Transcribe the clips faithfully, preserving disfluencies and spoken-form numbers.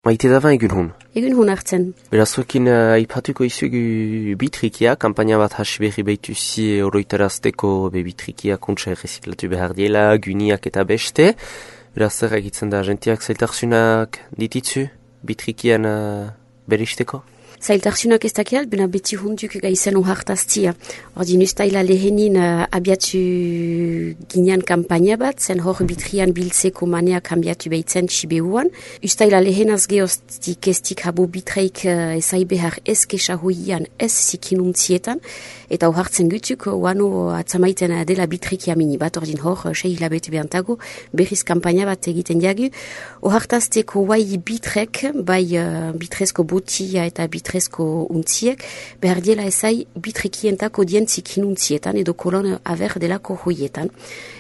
Maite daban egun hun. Egun hun hartzen. Berazuekin uh, aipatuko izugu bitrikia, kampaina bat hasi berri behituzi oroitarazteko be bitrikia kontsa erreziklatu behar diela, gyniak eta beste. Beraz zer egitzen da, jentiak zailtarsunak dititzu bitrikian uh, beristeko? Zailtarsunak ez dakial, bena beti hunduk gaizen uhartaztia. Ordin ustaila lehenin uh, abiatu ginean kampaina bat, zen hor bitrian biltzeko manea kambiatu behitzen txibeuan. Ustaila lehenaz geoztik estik habo bitreik uh, ezai behar ez kesahoian ez zikinuntzietan, eta uhartzen gutuk, uano atzamaiten dela bitrikia mini bat, ordin hor, uh, sei hilabete behantago, berriz kampaina bat egiten diagu. Uhartazteko guai bitrek, bai uh, bitrezko botia eta bitrezko bitrezko untziek, behar diela ezai bitrekientako dien zikinuntzietan edo kolon aver delako hoietan.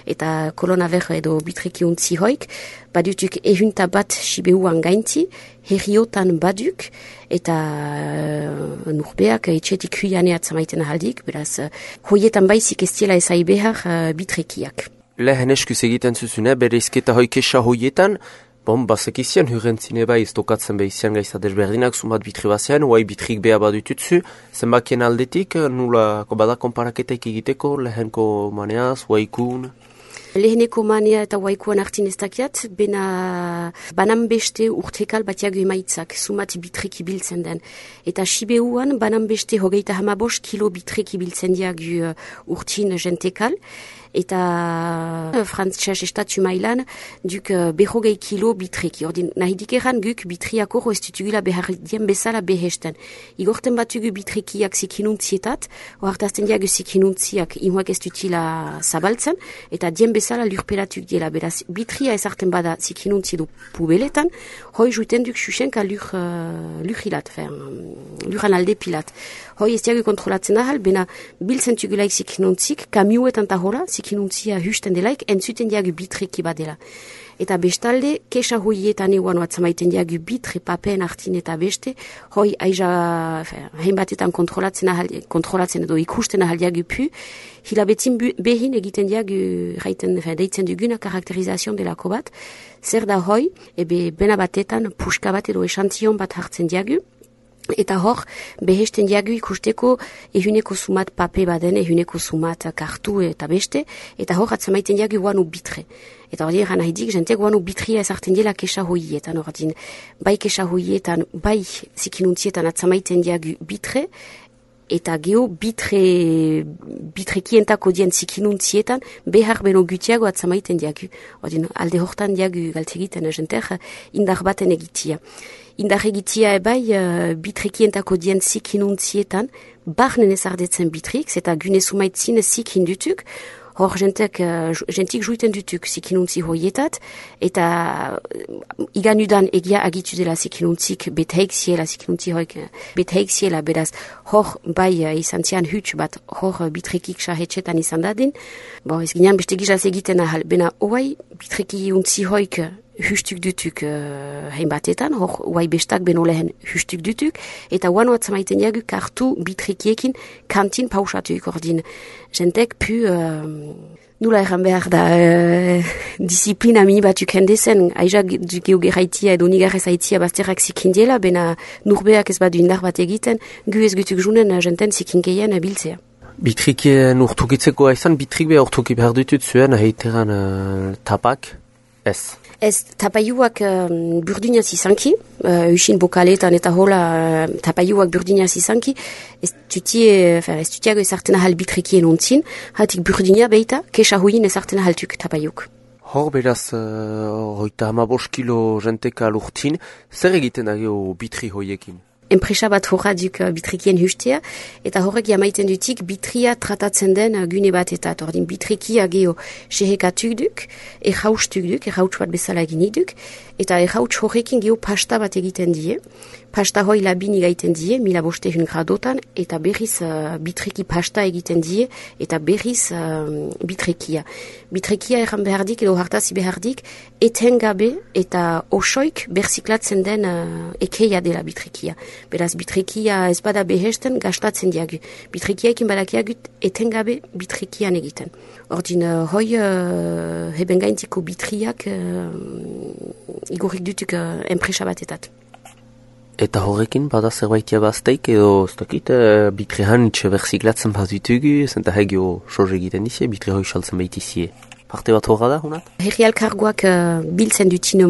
Eta kolon aver edo bitreki untzi hoik, badutuk ehunta bat sibeuan gainti, herriotan baduk, eta uh, nurbeak etxetik huianea atzamaiten ahaldik, beraz, uh, hoietan baizik ez diela ezai behar uh, bitrekiak. Lehen eskuz egiten zuzune, bere izketa hoikesa hoietan, bon, basek izian hurrentzine bai ez tokatzen behizian gaizta desberdinak sumat bitri bazian, oai bitrik beha badututzu, zenbakien aldetik, nula bada konparaketak egiteko, lehenko maneaz, oaikun? Leheneko manea eta oaikuan hartin ez dakiat, bena banan beste urtekal batiago emaitzak, sumat bitreki biltzen den. Eta sibeuan banan beste hogeita hamabos kilo bitreki biltzen diagu urtin jentekal, eta frantzes estatu mailan duk uh, behogei kilo bitreki. Ordin, nahidik eran guk bitriako roestitugula behar dien bezala behesten. Igorten batugu bitrekiak zikinuntzietat, oartazten diagu zikinuntziak imuak ez dutila zabaltzen, eta dien bezala lurpelatuk diela. Beraz, bitria ezarten bada zikinuntzi du pubeletan, hoi juiten duk xuxenka lur, uh, lurhilat, luran alde pilat. Hoi ez diagu kontrolatzen ahal, bena biltzen tugulaik zikinuntzik, kamioetan tahola, zikinuntzia husten delaik, entzuten diagu bitreki badela. Eta bestalde, kesa hoietan eguan atzamaiten diagu bitre papen hartin eta beste, hoi aiza hein batetan kontrolatzen, ahal, kontrolatzen edo ikusten ahal diagu pu, hilabetin behin egiten diagu raiten, deitzen duguna karakterizazion delako bat, zer da hoi, ebe bena batetan puska bat edo esantion bat hartzen diagu, eta hor, behesten diagu ikusteko ehuneko sumat pape baden, ehuneko sumat kartu eta beste, eta hor atzamaiten diagu guanu bitre. Eta hori eran haidik, jente guanu bitria ezarten dela kesa hoietan, ordin, bai kesa hoietan, bai zikinuntzietan atzamaiten diagu bitre, eta geho bitre, bitrekientako dien zikinuntzietan, behar beno gutiago atzamaiten diagu. Ordin, alde hortan diagu galtegiten jenter, indar baten egitia. Indar egitia ebai uh, bitrekientako dien zikinuntzietan, barnen ezardetzen bitrik, eta gune sumaitzin zikin dutuk, hor jentek, uh, jentik juiten dutuk zikinuntzi hoietat, eta uh, iganudan egia agitu dela zikinuntzik beteik ziela, zikinuntzi hoik beteik ziela, beraz, hor bai uh, izan zian huts bat, hor uh, bitrekik sahetxetan izan dadin, bo ez ginean beste gizaz egiten ahal, bena oai bitreki untzi hoik hustuk dutuk uh, hein batetan, hor oai bestak beno lehen hustuk dutuk, eta oan atzamaiten diagu kartu bitrekiekin kantin pausatuik ordin. Jentek pu, uh, nula erran behar da, uh, disiplina mini batuk hendezen, aiza geogeraitia edo nigarrez haitia bazterrak zikindiela, bena nurbeak ez badu indar bat egiten, gu ez gutuk junen uh, jenten zikinkeien uh, biltzea. Bitrikien urtukitzeko aizan, bitrik beha urtuki behar ditut zuen, heiteran uh, tapak, ez? Ez tapaiuak um, burdinaz izanki, uh, usin bokaletan eta hola uh, tapaiuak burdinaz izanki, ez tutie, ez tutiago ezartena hal bitrekien ontzin, hatik burdina beita, kesa hoien ezartena haltuk tapaiuk. Hor beraz, uh, hoita hamabos kilo jenteka lurtin, zer egiten da geho bitri hoiekin? Enpresa bat horra duk bitrikien hustea, eta horrek jamaiten dutik bitria tratatzen den gune bat eta ordin bitrikia geho sehekatuk duk, erhaustuk duk, erhauts bat bezala eginik duk, eta erhauts horrekin geho pasta bat egiten die, pasta hoi labin igaiten die, mila bostehun gradotan, eta berriz uh, bitreki pasta egiten die, eta berriz uh, bitrekia. Bitrekia erran behardik edo hartazi behardik, etengabe eta osoik berziklatzen den uh, ekeia dela bitrekia. Beraz, bitrekia ez bada behesten gastatzen diagu. Bitrekiaekin badakiagut etengabe bitrekian egiten. Ordin, uh, hoi uh, heben gaintiko bitriak uh, igorrik dutuk uh, enpresa batetat. Eta horrekin bada zerbaitia bazteik edo ez dakit uh, bitrehan itxe berziklatzen bat ditugu, zenta hegio sorre egiten dizie, bitre hoi saltzen behitizie. Parte bat horra da, honat? Herri alkargoak uh, biltzen dutine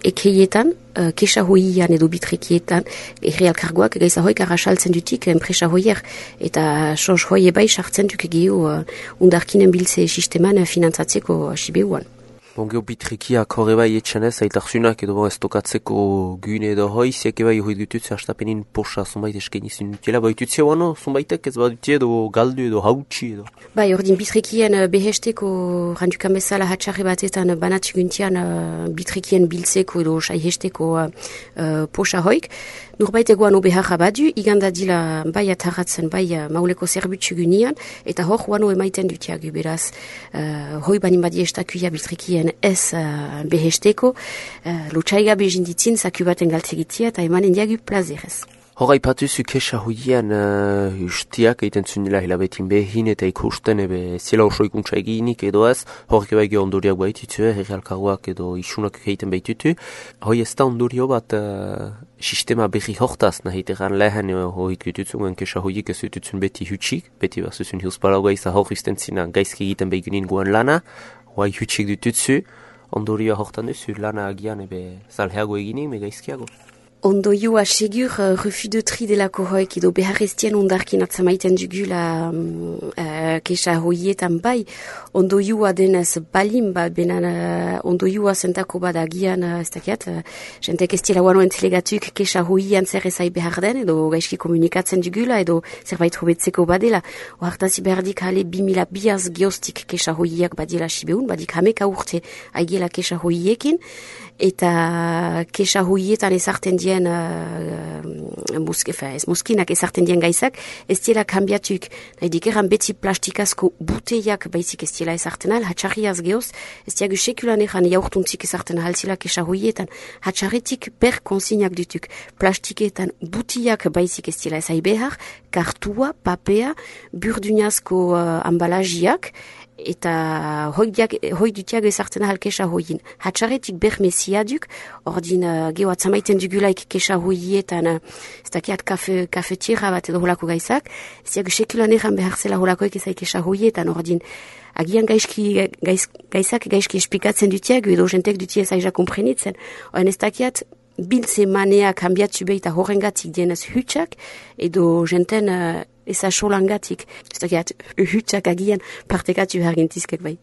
ekeietan, uh, kesa hoian edo bitrekietan, herri alkargoak gaiza hoik arrasaltzen dutik enpresa hoier, eta sos hoie bai sartzen duk egeo uh, undarkinen biltze sisteman uh, finantzatzeko asibeuan. Bon, geho bitrekiak horre bai etxanez, aitarzunak edo bon, ez tokatzeko gune edo hoi, ziak eba joit gututze hastapenin posa zonbait esken izin dutela, bai dutze wano, zonbaitek ez badutze edo galdu edo hautsi edo. Bai, ordin bitrekien behesteko randukan bezala hatxarri batetan banatzuguntian uh, bitrekien biltzeko edo saihesteko uh, uh, posa hoik. Nurbait egoan obeharra badu, iganda dila bai atarratzen, bai uh, mauleko zerbutsu gunian, eta hor wano emaiten dutiagu, beraz, uh, hoi banin badi estakuia bitrekien ez uh, behesteko, uh, lotxaiga bezinditzin zaku baten galtzegitzia eta emanen diagu plazerez. Hora ipatuzu kesa hoian uh, ustiak egiten zunila hilabetin behin eta ikusten ebe zela oso ikuntza eginik edo ez, horrek eba ege ondoriak baitutu, herri alkargoak edo isunak egiten baitutu. Hoi ez da ondorio bat uh, sistema berri hortaz, nahi teran lehen uh, hoik jutuzun, kesa hoiik ez jutuzun beti hutsik, beti bat zuzun hiuspalagoa izan hor izten zina gaizki egiten behigunin guen lana, hoi hutsik dutuzu, ondorioa hortan duzu lana agian ebe zalheago eginik, me gaizkiago. Ondoioa segur uh, refus de tri delako hoik edo beharreztien ondarkin atzamaiten dugula um, uh, kesa hoietan bai. Ondoioa denez balin ba, benan uh, ondoioa zentako badagian, uh, ez dakiat, uh, jentek ez tila wano entelegatuk kesa hoian zer ezai behar den edo gaizki komunikatzen dugula edo zerbait hobetzeko badela. Oartazi behardik hale bimila biaz geostik kesa hoiak badela sibeun, badik hameka urte aigela kesa hoiekin, eta kesa hoietan ezarten dien uh, musk, ez muskinak ezarten dien gaizak ez diela kambiatuk, nahi dikeran beti plastikazko buteiak baizik ez diela ezarten al, hatxarriaz geoz ez diagu sekulan egan jaurtuntzik ezarten halzila kesa hoietan, hatxarretik per konsignak dutuk, plastiketan buteiak baizik ez diela ezai behar, kartua, papea, burdunazko uh, ambalajiak eta hoi dutiak ezartzen ahal kesa hoien. Hatxarretik bermeziaduk, ordin uh, geho atzamaiten dugulaik kesa hoietan, uh, ez dakiat kafe, kafetira bat edo holako gaizak, ez diago sekulan egan behar zela holakoek ezai kesa hoietan, ordin agian gaizki, gaiz, gaizak gaizki espikatzen dutiak, edo jentek dutia zaila komprenitzen, oen ez dakiat biltze manea kambiatzu behita horrengatik dienez hutsak, edo jenten uh, eza solangatik, ez dakiat hutsak agian partekatu hargintizkek bai.